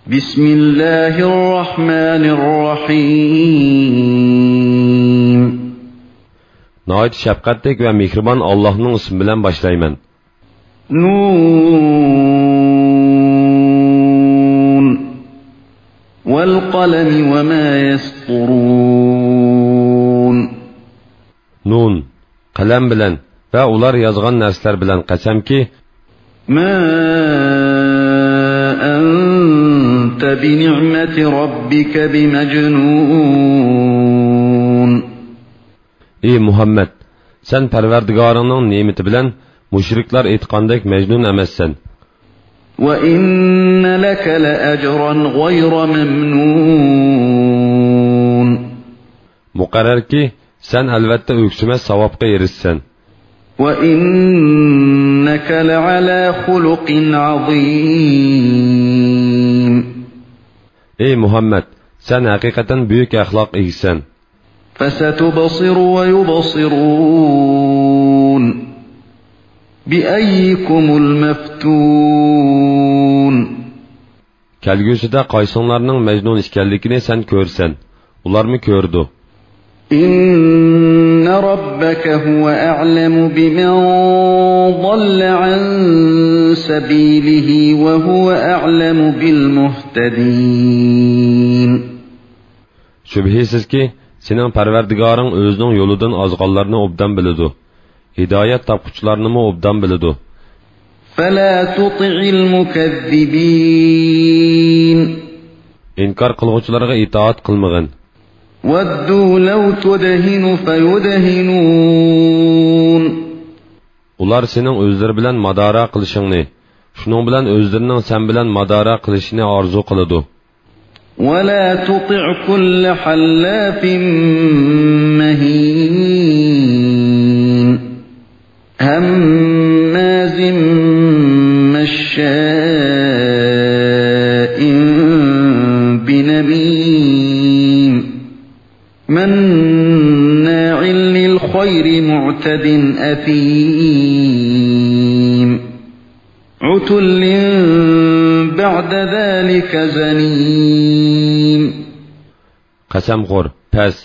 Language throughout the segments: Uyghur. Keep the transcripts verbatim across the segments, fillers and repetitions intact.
بسم الله الرحمن الرحيم. ناھايىتى شەپقەتلىك ۋە مېھرىبان ئاللاھنىڭ ئىسمى بىلەن باشلايمەن. نون. والقلم وما يسطرون. نون، قەلەم بىلەن ۋە ئۇلار يازغان نەرسىلەر بىلەن قەسەمكى، ما أنت بنعمة ربك بمجنون. ئى مۇھەممەد، سەن پەرۋەردىگارىڭنىڭ نېمىتى بىلەن مۇشرىكلار ئېيتقاندەك مەجنۇن ئەمەسسەن. وإن لك لأجرا غير ممنون. مۇقەررەركى، سەن ئەلۋەتتە ئۆكسۈمەس ساۋابقا ئېرىشىسەن. وإنك لعلى خلق عظيم. ئى مۇھەممەد، سەن ھەقىقەتەن بۈيۈك ئەخلاق ئىگىسەن. فستبصر ويبصرون بأيكم المفتون. كەلگۈسىدە قايسىڭلارنىڭ مەجنۇن ئىكەنلىكىنى سەن كۆرىسەن، ئۇلارمۇ كۆرىدۇ. إن ربك هو أعلم بمن ضل عن سبيله وهو أعلم بالمهتدين. شۈبھىسىزكى، سېنىڭ پەرۋەردىگارىڭ ئۆزىنىڭ يولىدىن ئازغانلارنى ئوبدان بىلىدۇ، ھىدايەت تاپقۇچىلارنىمۇ ئوبدان بىلىدۇ. فلا تطع المكذبين. ئىنكار قىلغۇچىلارغا ئىتائەت قىلمىغىن. ودوا لو تدهن فيدهنون. ئۇلار سېنىڭ ئۆزلىرى بىلەن مادارا قىلىشىڭنى، شۇنىڭ بىلەن ئۆزلىرىنىڭ سەن بىلەن مادارا قىلىشىنى ئارزۇ قىلىدۇ. ولا تطع كل حلاف مهين. هماز مشاء بنميم. مناع للخير معتد أثيم. عتل بعد ذلك زنيم. قەسەمخور، پەس،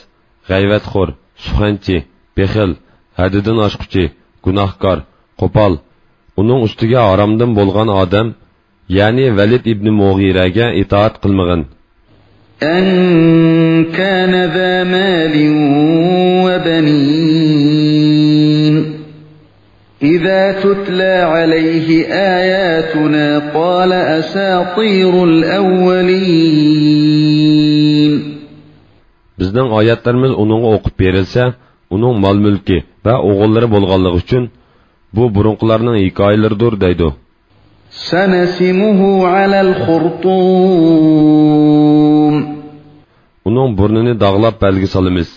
غەيۋەتخور، سۇخەنچى، بېخىل، ھەددىدىن ئاشقۇچى، گۇناھكار، قوپال، ئۇنىڭ ئۈستىگە ھارامدىن بولغان ئادەم، يەنى ۋەلىد ئىبنى مۇغىرەگە ئىتائەت قىلمىغىن. أن كان ذا مال وبنين. إذا تتلى عليه آياتنا قال أساطير الأولين. بىزنىڭ ئايەتلىرىمىز ئۇنىڭغا ئوقۇپ بېرىلسە، ئۇنىڭ مال-مۈلكى ۋە ئوغۇللىرى بولغانلىقى ئۈچۈن، بۇ بۇرۇنقىلارنىڭ ھېكايىلىرىدۇر دەيدۇ. سنسمه على الخرطوم. ئۇنىڭ بۇرنىنى داغلاپ بەلگە سالىمىز.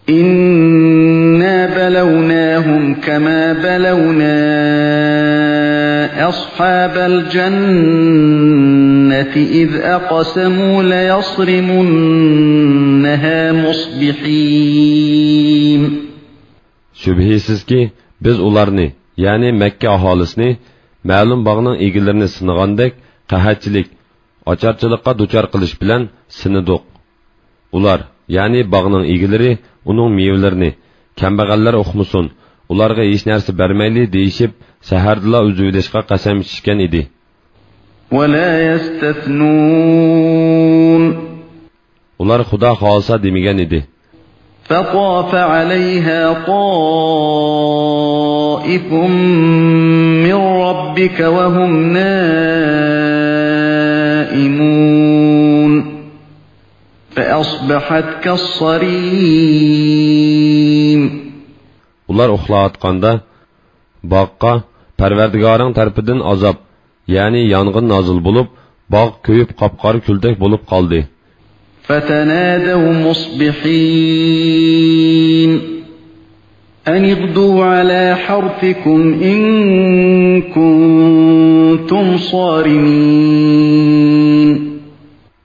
إنا بلوناهم كما بلونا أصحاب الجنة إذ أقسموا ليصرمنها مصبحين. شۈبھىسىزكى، بىز ئۇلارنى، يەنى مەككە ئاھالىسىنى، مەلۇم باغنىڭ ئىگىلىرىنى سىنىغاندەك قەھەتچىلىك، ئاچارچىلىققا دۇچار قىلىش بىلەن سىنىدۇق. ئۇلار، يەنى باغنىڭ ئىگىلىرى، ئۇنىڭ مېۋىلىرىنى، كەمبەغەللەر ئۇقمىسۇن، ئۇلارغا ھېچ نەرسە بەرمەيلى دېيىشىپ، سەھەردىلا ئۈزۈۋېلىشقا قەسەم ئىچىشكەن ئىدى. ولا يستثنون. ئۇلار خۇدا خالىسا دېمىگەن ئىدى. فطاف عليها طائف من ربك وهم نائمون. فأصبحت كالصريم. ئۇلار ئۇخلاۋاتقاندا، باغقا پەرۋەردىگارىڭ تەرىپىدىن ئازاب، يەنى يانغىن نازىل بولۇپ، باغ كۆيۈپ قاپقارا كۈلدەك بولۇپ قالدى. فتنادوا مصبحين أن اغدوا على حرثكم إن كنتم صارمين.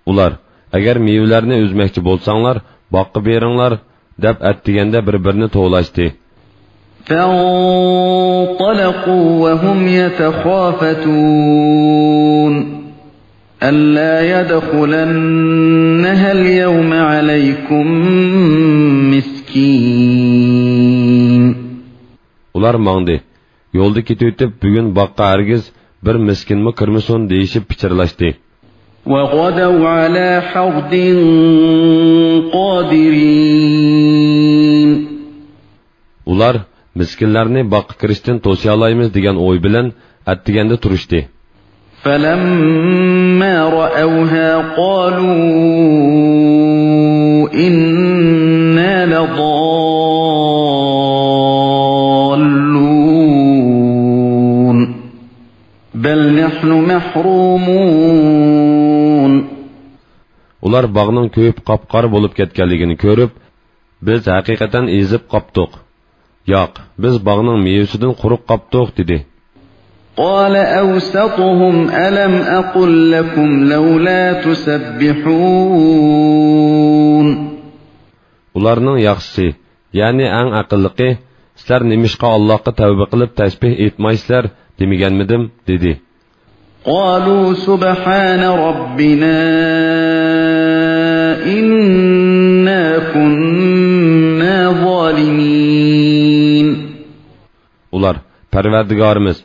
ئۇلار، ئەگەر مېۋىلەرنى ئۈزمەكچى بولساڭلار، باغقا بېرىڭلار، دەپ ئەتىگەندە بىر-بىرىنى توۋلاشتى. فانطلقوا وهم يتخافتون. ألا يدخلنها اليوم عليكم مسكين. ئۇلار ماڭدى. يولدا كېتىۋېتىپ، بۈگۈن باغقا ھەرگىز بىر مىسكىنمۇ كىرمىسۇن دېيىشىپ پىچىرلاشتى. وغدوا على حرد قادرين. ئۇلار مىسكىنلەرنى باغقا كىرىشتىن توسىيالايمىز دېگەن ئوي بىلەن ئەتىگەندە تۇرۇشتى. فلما رأوها قالوا إنا لضالون. بل نحن محرومون. ئۇلار باغنىڭ كۆيۈپ قاپقارا بولۇپ كەتكەنلىكىنى كۆرۈپ، بىز ھەقىقەتەن ئېزىپ قاپتۇق. ياق، بىز باغنىڭ مېۋىسىدىن قۇرۇق قاپتۇق، دېدى. قال أوسطهم ألم أقل لكم لولا تسبحون. ئۇلارنىڭ ياخشىسى، يەنى ئەڭ ئەقىللىقى، سىلەر نېمىشقا ئاللاھقا تەۋبە قىلىپ تەسبىھ ئېيتمايسىلەر دېمىگەنمىدىم؟ دېدى. قالوا سبحان ربنا إنا كنا ظالمين. ئۇلار، پەرۋەردىگارىمىز،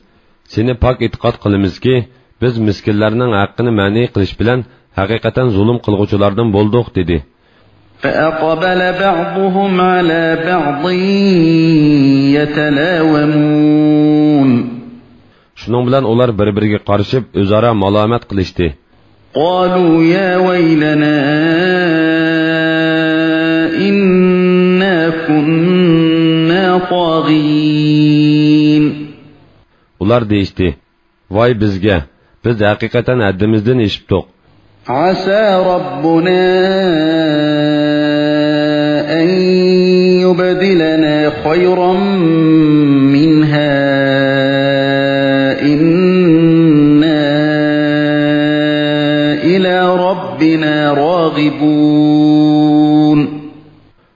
سېنى پاك ئېتىقاد قىلىمىزكى، بىز مىسكىنلەرنىڭ ھەققىنى مەنئى قىلىش بىلەن ھەقىقەتەن زۇلۇم قىلغۇچىلاردىن بولدۇق، دېدى. فأقبل بعضهم على بعض يتلاومون. شۇنىڭ بىلەن ئۇلار بىر-بىرىگە قارىشىپ، ئۆزئارا مالامەت قىلىشتى. قالوا يا ويلنا إنا كنا طاغين. ئۇلار دېيىشتى، ۋاي بىزگە! بىز ھەقىقەتەن ھەددىمىزدىن ئېشىپتۇق. عسى ربنا أن يبدلنا خيرا منها إنا إلى ربنا راغبون.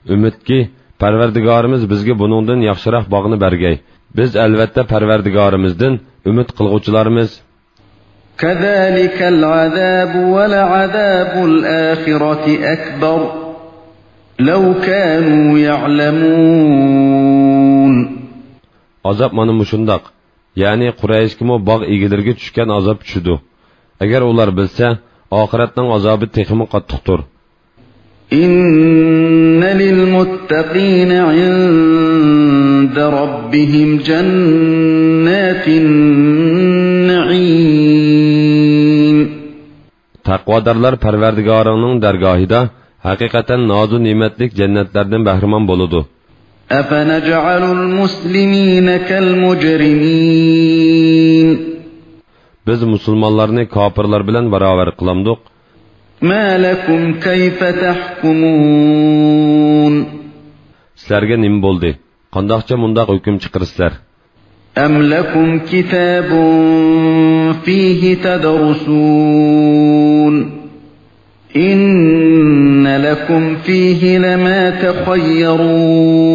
ئۈمىدكى، پەرۋەردىگارىمىز بىزگە بۇنىڭدىن ياخشىراق باغنى بەرگەي. بىز ئەلۋەتتە پەرۋەردىگارىمىزدىن ئۈمىد قىلغۇچىلارمىز. كذلك العذاب ولعذاب الآخرة أكبر لو كانوا يعلمون. ئازاب مانا مۇشۇنداق، يەنى قۇرەيشكىمۇ باغ ئىگىلىرىگە چۈشكەن ئازاب چۈشىدۇ. ئەگەر ئۇلار بىلسە، ئاخىرەتنىڭ ئازابى تېخىمۇ قاتتىقتۇر. إن للمتقين عند ربهم جنات النعيم. تەقۋادارلار پەرۋەردىگارىنىڭ دەرگاھىدا ھەقىقەتەن نازۇ نېمەتلىك جەننەتلەردىن بەھرىمەن بولىدۇ. أفنجعل المسلمين كالمجرمين. بىز مۇسۇلمانلارنى كاپىرلار بىلەن باراۋەر قىلامدۇق؟ ما لكم كيف تحكمون. سىلەرگە نېمە بولدى؟ قانداقچە مۇنداق ھۆكۈم چىقىرىسىلەر؟ أم لكم كتاب فيه تدرسون. إن لكم فيه لما تخيرون.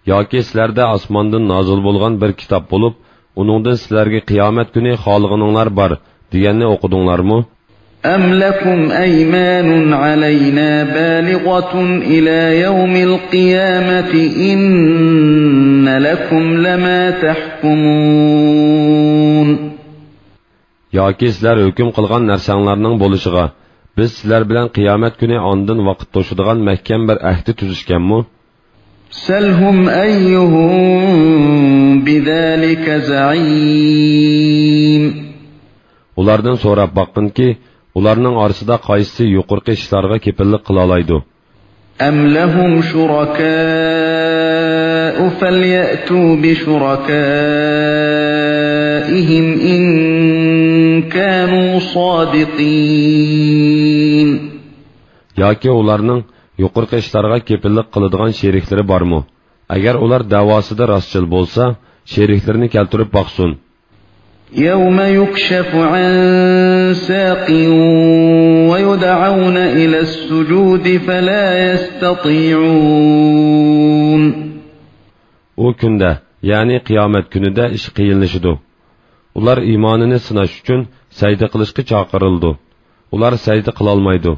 ياكى سىلەردە ئاسماندىن نازىل بولغان بىر كىتاب بولۇپ، ئۇنىڭدىن سىلەرگە قىيامەت كۈنى خالىغىنىڭلار بار دېگەننى ئوقۇدۇڭلارمۇ؟ أم لكم أيمان علينا بالغة إلى يوم القيامة إن لكم لما تحكمون. ياكى سىلەر ھۆكۈم قىلغان نەرسەڭلارنىڭ بولۇشىغا، بىز سىلەر بىلەن قىيامەت كۈنى ئاندىن ۋاقىت توشىدىغان مەھكەم بىر ئەھدى تۈزۈشكەنمۇ؟ سلهم أيهم بذلك زعيم. ئۇلاردىن سوراپ باققىنكى، ئۇلارنىڭ ئارىسىدا قايسىسى يۇقىرىقى ئىشلارغا كېپىللىك قىلالايدۇ؟ أم لهم شركاء فليأتوا بشركائهم إن كانوا صادقين. ياكى ئۇلارنىڭ يۇقىرىقى ئىشلارغا كېپىللىك قىلىدىغان شېرىكلىرى بارمۇ؟ ئەگەر ئۇلار دەۋاسىدا راستچىل بولسا، شېرىكلىرىنى كەلتۈرۈپ باقسۇن. يوم يكشف عن ساق ويدعون إلى السجود فلا يستطيعون. ئۇ كۈندە، يەنى قىيامەت كۈنىدە ئىش قىيىنلىشىدۇ. ئۇلار ئىمانىنى سىناش ئۈچۈن سەجدە قىلىشقا چاقىرىلىدۇ. ئۇلار سەجدە قىلالمايدۇ.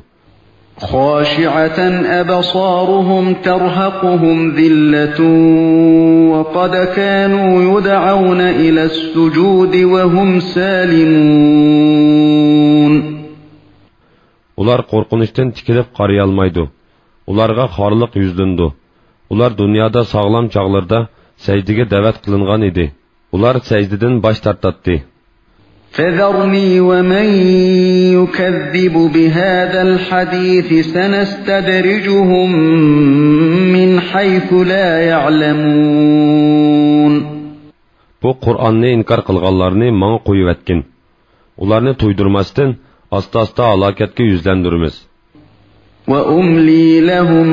خاشعة أبصارهم ترهقهم ذلة وقد كانوا يدعون إلى السجود وهم سالمون. ئۇلار قورقۇنچتىن تىكىلىپ قارىيالمايدۇ. ئۇلارغا خارلىق يۈزلىنىدۇ. ئۇلار دۇنيادا ساغلام چاغلىرىدا سەجدىگە دەۋەت قىلىنغان ئىدى. ئۇلار سەجدىدىن باش تارتاتتى. فذرني ومن يكذب بهذا الحديث سنستدرجهم من حيث لا يعلمون. بۇ قۇرئاننى ئىنكار قىلغانلارنى ماڭا قويۇۋەتكىن. ئۇلارنى تويدۇرماستىن، ئاستا-ئاستا ھالاكەتكە يۈزلەندۈرىمىز. وأملي لهم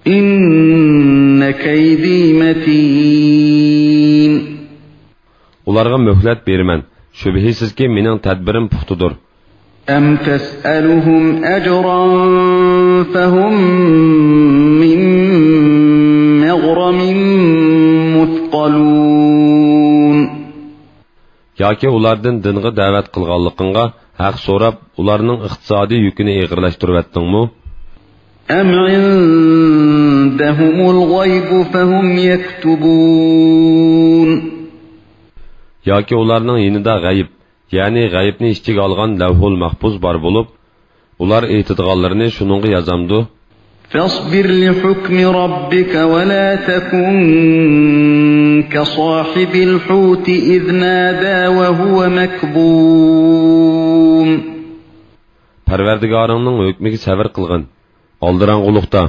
إن كيدي متين. ئۇلارغا مۆھلەت بېرىمەن. شۈبھىسىزكى، مېنىڭ تەدبىرىم پۇختىدۇر. أم تسألهم أجرا فهم من مغرم مثقلون. ياكى ئۇلاردىن دىنغا دەۋەت قىلغانلىقىڭغا ھەق سوراپ، ئۇلارنىڭ ئىقتىسادىي يۈكىنى ئېغىرلاشتۇرۇۋەتتىڭمۇ؟ أم عندهم الغيب فهم يكتبون. ياكى ئۇلارنىڭ يېنىدا غەيىب، يەنى غەيىبنى ئىچىگە ئالغان لەۋھۇل مەھپۇز بار بولۇپ، ئۇلار ئېيتىدىغانلىرىنى شۇنىڭغا يازامدۇ؟ فاصبر لحكم ربك ولا تكن كصاحب الحوت إذ نادى وهو مكظوم. پەرۋەردىگارىڭنىڭ ھۆكمىگە سەۋر قىلغىن. ئالدىراڭغۇلۇقتا،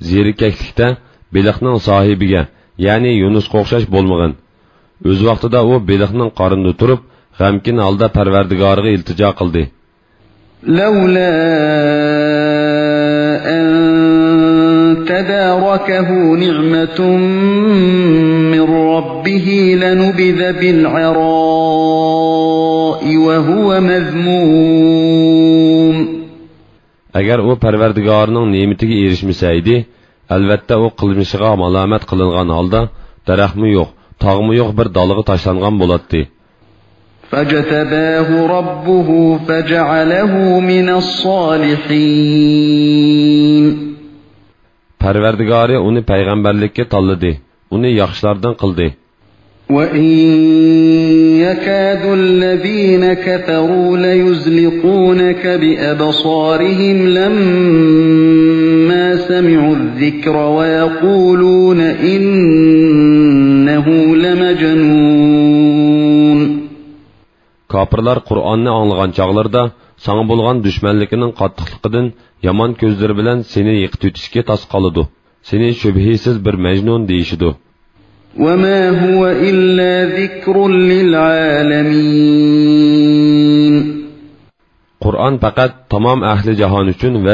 زېرىكەشلىكتە بېلىقنىڭ ساھىبىگە، يەنى يۇنۇسقا ئوخشاش بولمىغىن. ئۆز ۋاقتىدا ئۇ بېلىقنىڭ قارنىدا تۇرۇپ، غەمكىن ھالدا پەرۋەردىگارىغا ئىلتىجا قىلدى. لولا أن تداركه نعمة من ربه لنبذ بالعراء وهو مذموم. ئەگەر ئۇ پەرۋەردىگارىنىڭ نېمىتىگە ئېرىشمىسە ئىدى، ئەلۋەتتە ئۇ قىلمىشىغا مالامەت قىلىنغان ھالدا، دەرەخمۇ يوق، تاغمۇ يوق بىر دالغا تاشلانغان بولاتتى. فاجتباه ربه فجعله من الصالحين. پەرۋەردىگارى ئۇنى پەيغەمبەرلىككە تاللىدى، ئۇنى ياخشىلاردىن قىلدى. وإن يكاد الذين كفروا ليزلقونك بأبصارهم لما سمعوا الذكر ويقولون إنه لمجنون. كاپىرلار قۇرئاننى ئاڭلىغان چاغلىرىدا ساڭا بولغان دۈشمەنلىكىنىڭ قاتتىقلىقىدىن يامان كۆزلىرى بىلەن سېنى يىقىتىۋېتىشكە تاس قالىدۇ. سېنى شۈبھىسىز بىر مەجنۇن دېيىشىدۇ. وما هو إلا ذكر للعالمين. قۇرئان پەقەت تامام ئەھلى جاھان ئۈچۈن ۋەز